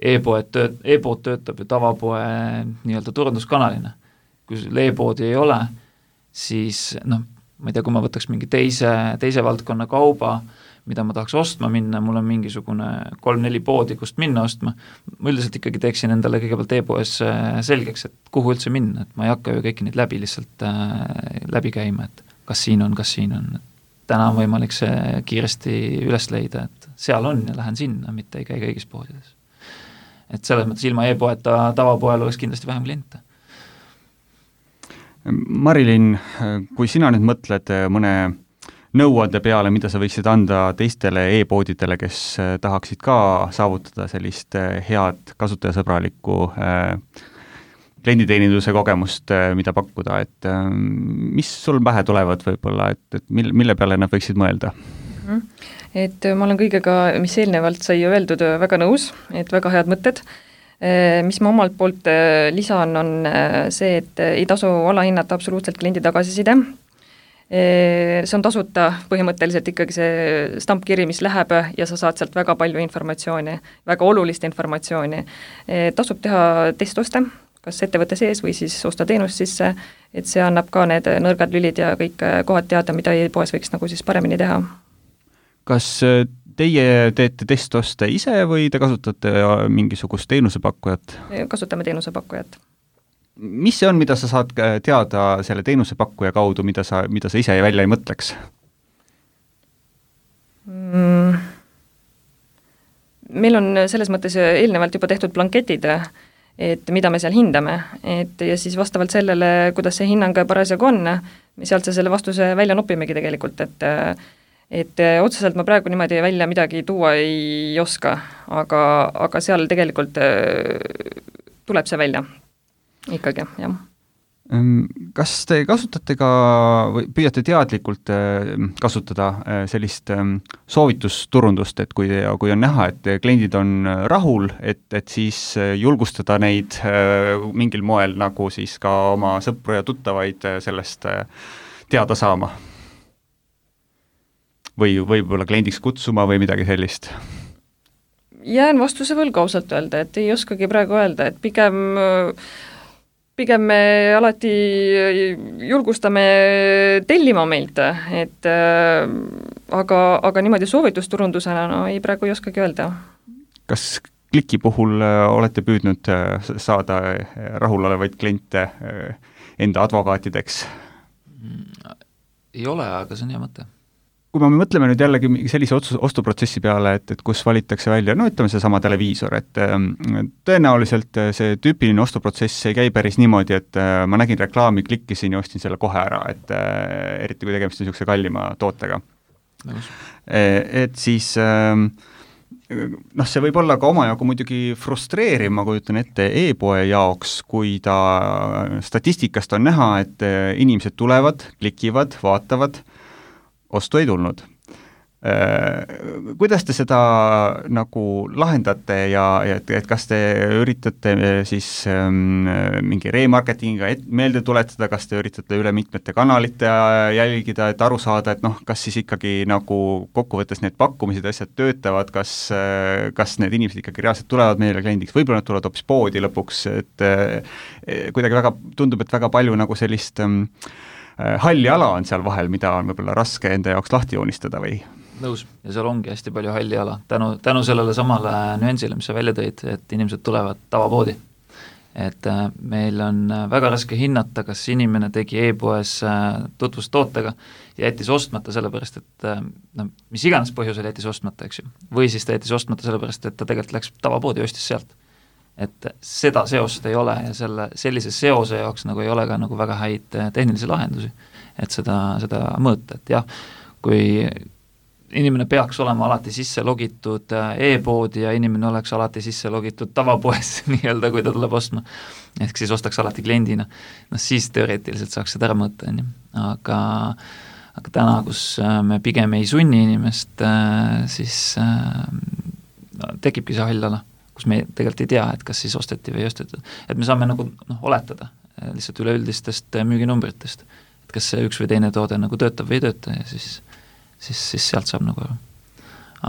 e-poed tööt, e-pood töötab ju tavapoe nii-öelda turunduskanalina. Kui e-poodi ei ole, siis noh, ma ei tea, kui ma võtaks mingi teise, teise valdkonna kauba, mida ma tahaks ostma minna, mul on mingisugune kolm-neli poodi, kust minna ostma, ma üldiselt ikkagi teeksin endale kõigepealt e-poes selgeks, et kuhu üldse minna, et ma ei hakka ju kõiki neid läbi lihtsalt äh, läbi käima, et kas siin on, kas siin on. Täna on võimalik see kiiresti üles leida, et seal on ja lähen sinna, mitte ei käi kõigis poodides. et selles mõttes ilma e-poeta tavapoel oleks kindlasti vähem kliente. Marilyn, kui sina nüüd mõtled mõne nõuande peale, mida sa võiksid anda teistele e-poodidele, kes tahaksid ka saavutada sellist head kasutajasõbralikku klienditeeninduse kogemust, mida pakkuda, et mis sul pähe tulevad võib-olla, et, et mille, mille peale nad võiksid mõelda? Et ma olen kõigega, mis eelnevalt sai öeldud, väga nõus, et väga head mõtted. Mis ma omalt poolt lisan, on see, et ei tasu alahinnata absoluutselt kliendi tagasiside. See on tasuta põhimõtteliselt ikkagi see stampkiri, mis läheb ja sa saad sealt väga palju informatsiooni, väga olulist informatsiooni. Tasub teha testoste, kas ettevõtte sees või siis osta teenust sisse, et see annab ka need nõrgad lülid ja kõik kohad teada, mida e-poes võiks nagu siis paremini teha. Kas teie teete testoste ise või te kasutate mingisugust teenusepakkujat? Kasutame teenusepakkujat. Mis see on, mida sa saad teada selle teenusepakkuja kaudu, mida sa, mida sa ise välja ei mõtleks? Mm. Meil on selles mõttes eelnevalt juba tehtud blanketid, et mida me seal hindame, et ja siis vastavalt sellele, kuidas see hinnang parasjagu on, me sealt selle vastuse välja nopimegi tegelikult, et et otseselt ma praegu niimoodi välja midagi tuua ei oska, aga, aga seal tegelikult tuleb see välja ikkagi, jah. Kas te kasutate ka või püüate teadlikult kasutada sellist soovitusturundust, et kui, kui on näha, et kliendid on rahul, et, et siis julgustada neid mingil moel nagu siis ka oma sõpru ja tuttavaid sellest teada saama? Või võib-olla kliendiks kutsuma või midagi sellist? Jään vastuse võlgu ausalt öelda, et ei oskagi praegu öelda, et pigem pigem me alati julgustame tellima meilt, et aga, aga niimoodi soovitusturundusena no, ei praegu ei oskagi öelda. Kas kliki puhul olete püüdnud saada rahulolevaid kliente enda advokaatideks? Ei ole, aga see on hea mõte. Kui me mõtleme nüüd jällegi sellise otsus, ostuprotsessi peale, et, et kus valitakse välja, no ütleme see sama televiisor, et tõenäoliselt see tüüpiline ostuprotsess ei käi päris niimoodi, et ma nägin reklaami, klikkisin ja ostin selle kohe ära, et eriti kui tegemist on niisuguse kallima tootega. Et siis noh, see võib olla ka omajagu muidugi frustreeriv, ma kujutan ette e-poe jaoks, kui ta statistikast on näha, et inimesed tulevad, klikivad, vaatavad, ostu ei tulnud. Kuidas te seda nagu lahendate ja, ja et, et kas te üritate siis ähm, mingi remarketingiga meelde tuletada, kas te üritate üle mitmete kanalite jälgida, et aru saada, et noh, kas siis ikkagi nagu kokkuvõttes need pakkumised asjad töötavad, kas, kas need inimesed ikkagi reaalselt tulevad meile kliendiks, võib-olla nad tulevad hoopis poodi lõpuks, et äh, kuidagi väga, tundub, et väga palju nagu sellist ähm, halli ala on seal vahel, mida on võib-olla raske enda jaoks lahti joonistada või? Nõus, ja seal ongi hästi palju halli ala, tänu, tänu sellele samale nüansile, mis sa välja tõid, et inimesed tulevad tavapoodi. Et äh, meil on väga raske hinnata, kas inimene tegi e-poes äh, tutvust tootega ja jättis ostmata sellepärast, et äh, no, mis iganes põhjusel jättis ostmata, eks ju. Või siis ta jättis ostmata sellepärast, et ta tegelikult läks tavapoodi ja ostis sealt. Et seda seost ei ole ja selle, sellise seose jaoks nagu ei ole ka nagu väga häid tehnilisi lahendusi, et seda, seda mõõta, et jah, kui inimene peaks olema alati sisse logitud e-poodi ja inimene oleks alati sisse logitud tavapoes nii-öelda, kui ta tuleb ostma, ehk siis ostaks alati kliendina, no siis teoreetiliselt saaks seda ära mõõta, aga, aga täna, kus me pigem ei sunni inimest, siis no, tekibki see hall ala, kus me tegelikult ei tea, et kas siis osteti või ei ostetud. Et me saame nagu noh, oletada lihtsalt üleüldistest müüginumbritest, et kas see üks või teine toode nagu töötab või ei tööta ja siis, siis, siis sealt saab nagu aru.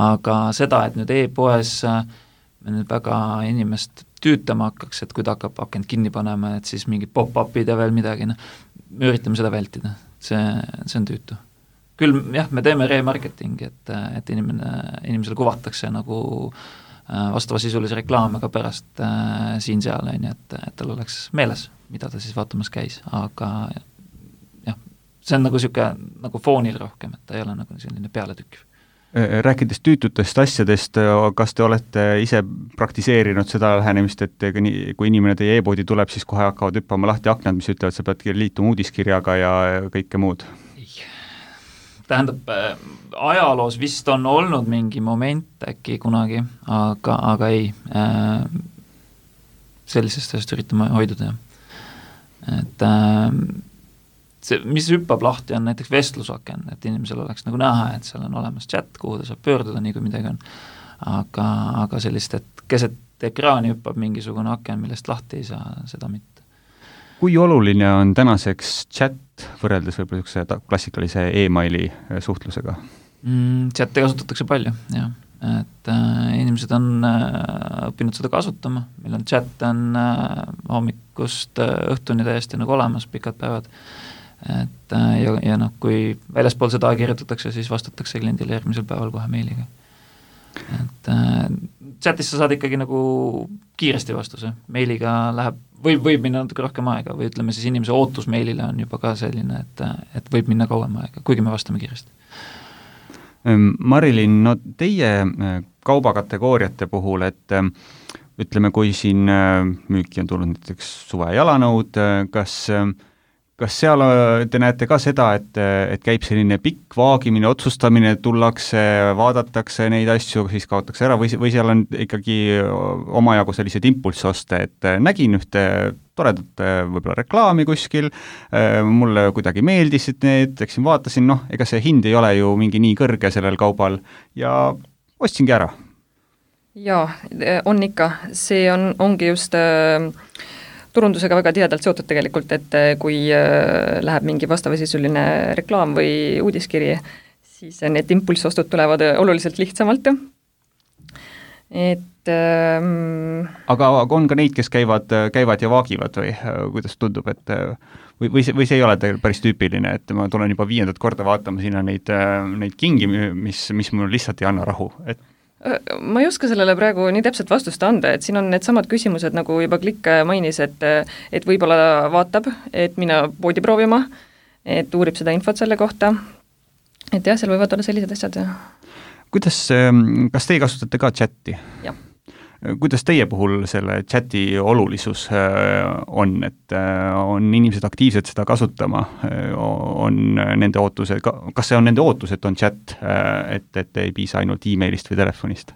Aga seda, et nüüd e-poes me nüüd väga inimest tüütama hakkaks, et kui ta hakkab akent kinni panema, et siis mingid pop-upid ja veel midagi, no, me üritame seda vältida, see, see on tüütu. Küll jah, me teeme remarketingi, et, et inimene, inimesele kuvatakse nagu vastava sisulise reklaame ka pärast äh, siin-seal, et, et tal oleks meeles, mida ta siis vaatamas käis, aga jah, see on nagu niisugune nagu foonil rohkem, et ta ei ole nagu selline pealetükkiv. Rääkides tüütutest asjadest, kas te olete ise praktiseerinud seda lähenemist, et kui inimene teie e-poodi tuleb, siis kohe hakkavad hüppama lahti aknad, mis ütlevad, sa peadki liituma uudiskirjaga ja kõike muud? Tähendab, ajaloos vist on olnud mingi moment äkki kunagi, aga, aga ei, sellisest asjast üritame hoiduda. Et see, mis hüppab lahti, on näiteks vestlusaken, et inimesel oleks nagu näha, et seal on olemas chat, kuhu ta saab pöörduda, nii kui midagi on. Aga, aga sellist, et keset ekraani hüppab mingisugune aken, millest lahti ei saa, seda mitte. Kui oluline on tänaseks chat võrreldes võib-olla klassikalise e-maili suhtlusega? Mm, chati kasutatakse palju, jah. Et äh, inimesed on äh, õppinud seda kasutama, meil on chat on äh, hommikust äh, õhtuni täiesti nagu olemas, pikad päevad. Et ja, ja noh, kui väljaspool seda kirjutatakse, siis vastatakse kliendile järgmisel päeval kohe meiliga. Et äh, chatis sa saad ikkagi nagu kiiresti vastuse, meiliga läheb, võib, võib minna natuke rohkem aega või ütleme siis inimese ootus meilile on juba ka selline, et, et võib minna kauem aega, kuigi me vastame kiiresti. Marilyn, no teie kaubakategooriate puhul, et ütleme, kui siin müüki on tulnud näiteks suve jalanõud, kas Kas seal te näete ka seda, et, et käib selline pikk vaagimine, otsustamine, tullakse, vaadatakse neid asju, siis kaotakse ära või, või seal on ikkagi omajagu sellised impulssoste, et nägin ühte toredat võib-olla reklaami kuskil, mulle kuidagi meeldisid need, eksin vaatasin, noh, ega see hind ei ole ju mingi nii kõrge sellel kaubal ja ostsingi ära. Jaa, on ikka. See on, ongi just äh, turundusega väga tihedalt seotud tegelikult, et kui läheb mingi vastavasisuline reklaam või uudiskiri, siis need impulssostud tulevad oluliselt lihtsamalt. Et ähm... aga on ka neid, kes käivad, käivad ja vaagivad või kuidas tundub, et või, või, see, või see ei ole päris tüüpiline, et ma tulen juba viiendat korda vaatama sinna neid, neid kingi, mis, mis mul lihtsalt ei anna rahu, et ma ei oska sellele praegu nii täpselt vastust anda, et siin on need samad küsimused, nagu juba Klikk mainis, et, et võib-olla vaatab, et mina poodi proovima, et uurib seda infot selle kohta, et jah, seal võivad olla sellised asjad. Kuidas, kas teie kasutate ka chati? Jah. Kuidas teie puhul selle chati olulisus on, et on inimesed aktiivsed seda kasutama, on nende ootused, kas see on nende ootus, et on chat, et, et ei piisa ainult e-mailist või telefonist?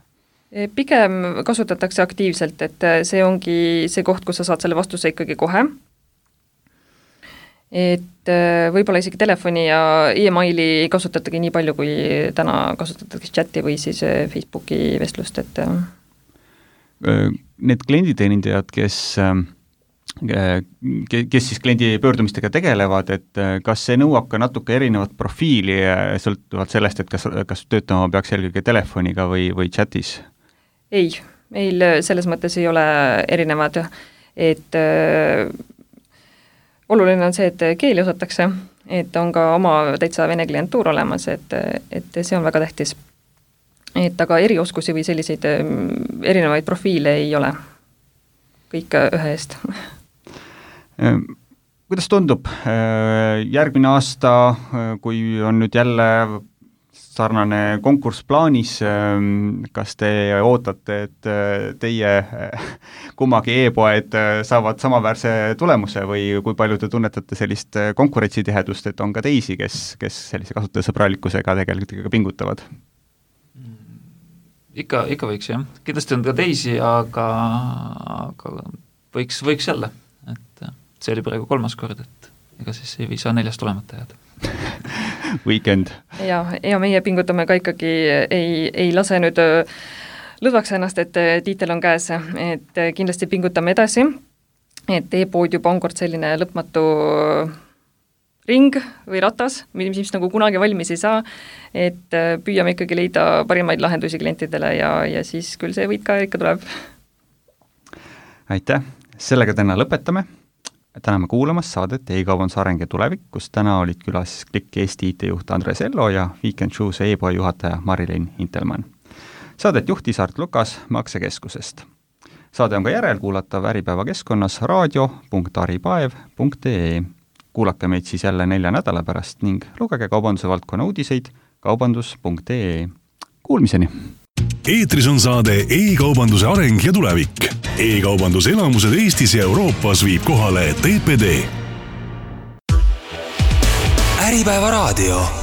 Pigem kasutatakse aktiivselt, et see ongi see koht, kus sa saad selle vastuse ikkagi kohe. Et võib-olla isegi telefoni ja e-maili ei kasutatagi nii palju, kui täna kasutatakse chati või siis Facebooki vestlust, et need klienditeenindajad, kes, kes siis kliendi pöördumistega tegelevad, et kas see nõuab ka natuke erinevat profiili sõltuvalt sellest, et kas, kas töötama peaks eelkõige telefoniga või, või chatis? Ei, meil selles mõttes ei ole erinevad, et äh, oluline on see, et keeli osatakse, et on ka oma täitsa vene klientuur olemas, et, et see on väga tähtis. Et aga erioskusi või selliseid erinevaid profiile ei ole. Kõik ühe eest. Kuidas tundub järgmine aasta, kui on nüüd jälle sarnane konkurss plaanis, kas te ootate, et teie kummagi e-poed saavad samaväärse tulemuse või kui palju te tunnetate sellist konkurentsitihedust, et on ka teisi, kes, kes sellise kasutajasõbralikkusega tegelikult ikka pingutavad? Ikka, ikka võiks, jah. Kindlasti on ka teisi, aga, aga võiks, võiks jälle. Et see oli praegu kolmas kord, et ega siis ei saa neljast olemata jääda. Weekend. Ja, ja meie pingutame ka ikkagi, ei, ei lase nüüd lõdvaks ennast, et tiitel on käes, et kindlasti pingutame edasi, et e-pood juba on kord selline lõpmatu ring või ratas, mis, mis nagu kunagi valmis ei saa, et püüame ikkagi leida parimaid lahendusi klientidele ja, ja siis küll see võit ka ikka tuleb. Aitäh, sellega täna lõpetame. Täname kuulamas saadet e-kaubanduse areng ja tulevik, kus täna olid külas Klikk Eesti I T-juht Andres Ello ja Weekend Shoes e-poe juhataja Marilyn Intelmann. Saadet juhtis Art Lukas Maksekeskusest. Saade on ka järelkuulatav Äripäeva keskkonnas raadio punkt aripaev punkt ee. Kuulake meid siis jälle nelja nädala pärast ning lugege kaubanduse valdkonna uudiseid kaubandus punkt ee. kuulmiseni! Eetris on saade E-kaubanduse areng ja tulevik. E-kaubanduse elamused Eestis ja Euroopas viib kohale T P D. Äripäeva raadio.